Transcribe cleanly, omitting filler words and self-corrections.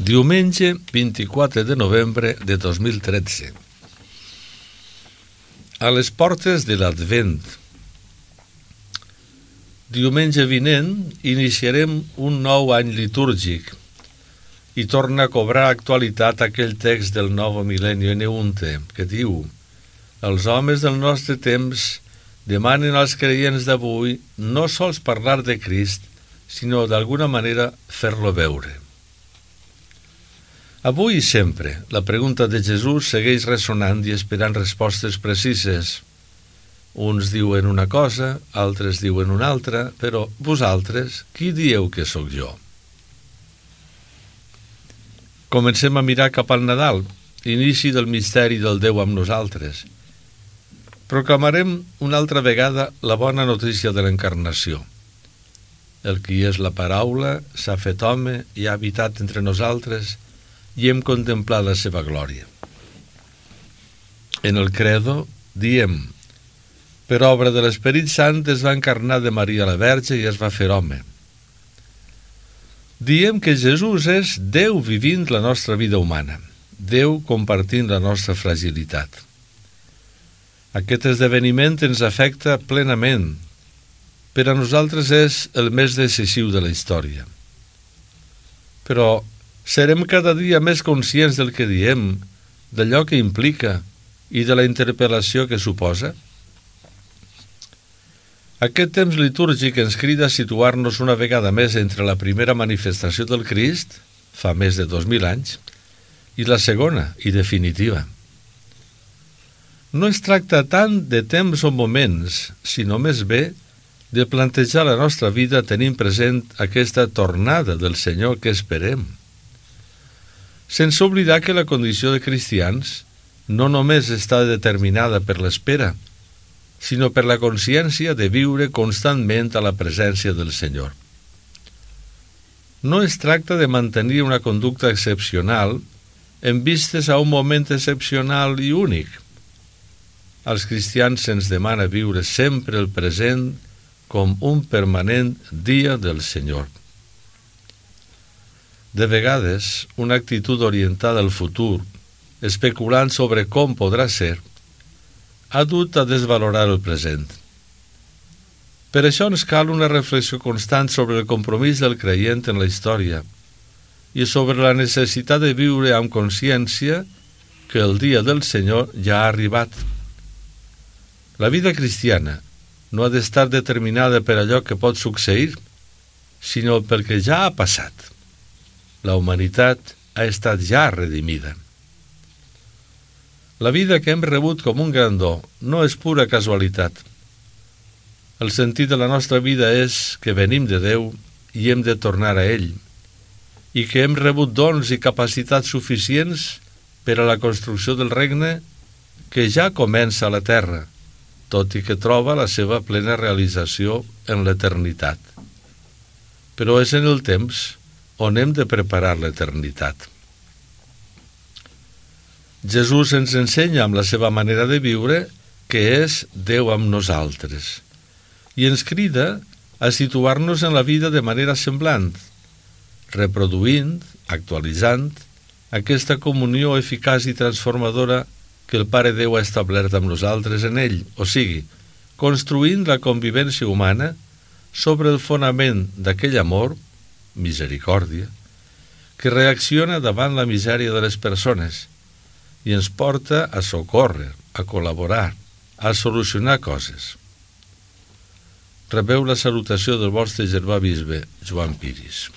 Diumenge 24 de novembre de 2013. A les portes de l'Advent. Diumenge vinent iniciarem un nou any litúrgic i torna a cobrar actualitat aquell text del Novo Millennio Neunte que diu: els homes del nostre temps demanen als creients d'avui no sols parlar de Crist, sinó d'alguna manera fer-lo veure. Avui i sempre, la pregunta de Jesús segueix ressonant i esperant respostes precises. Uns diuen una cosa, altres diuen una altra, però vosaltres, qui dieu que sóc jo? Comencem a mirar cap al Nadal, inici del misteri del Déu amb nosaltres. Proclamarem una altra vegada la bona notícia de l'encarnació. El qui és la paraula s'ha fet home i ha habitat entre nosaltres i hem contemplat la seva glòria. En el credo diem: per obra de l'Esperit Sant es va encarnar de Maria la Verge i es va fer home. Diem que Jesús és Déu vivint la nostra vida humana, Déu compartint la nostra fragilitat. Aquest esdeveniment ens afecta plenament. Per a nosaltres és el més decisiu de la història. Però serem cada dia més conscients del que diem, d'allò que implica i de la interpel·lació que suposa? Aquest temps litúrgic ens crida a situar-nos una vegada més entre la primera manifestació del Crist, fa més de 2000 anys, i la segona i definitiva. No es tracta tant de temps o moments, sinó més bé de plantejar la nostra vida tenint present aquesta tornada del Senyor que esperem. Sense oblidar que la condició de cristians no només està determinada per l'espera, sinó per la consciència de viure constantment a la presència del Senyor. No es tracta de mantenir una conducta excepcional en vistes a un moment excepcional i únic. Als cristians se'ns demana viure sempre el present com un permanent dia del Senyor. De vegades, una actitud orientada al futur, especulant sobre com podrà ser, ha dut a desvalorar el present. Per això ens cal una reflexió constant sobre el compromís del creient en la història i sobre la necessitat de viure amb consciència que el dia del Senyor ja ha arribat. La vida cristiana no ha d'estar determinada per allò que pot succeir, sinó pel que ja ha passat. La humanitat ha estat ja redimida. La vida que hem rebut com un gran do no és pura casualitat. El sentit de la nostra vida és que venim de Déu i hem de tornar a ell, i que hem rebut dons i capacitats suficients per a la construcció del regne que ja comença a la terra, tot i que troba la seva plena realització en l'eternitat. Però és en el temps on hem de preparar l'eternitat. Jesús ens ensenya amb la seva manera de viure que és Déu amb nosaltres i ens crida a situar-nos en la vida de manera semblant, reproduint, actualitzant aquesta comunió eficaç i transformadora que el Pare Déu ha establert amb nosaltres en ell, o sigui, construint la convivència humana sobre el fonament d'aquell amor, misericòrdia, que reacciona davant la misèria de les persones i ens porta a socórrer, a col·laborar, a solucionar coses. Rebeu la salutació del vostre germà bisbe, Joan Piris.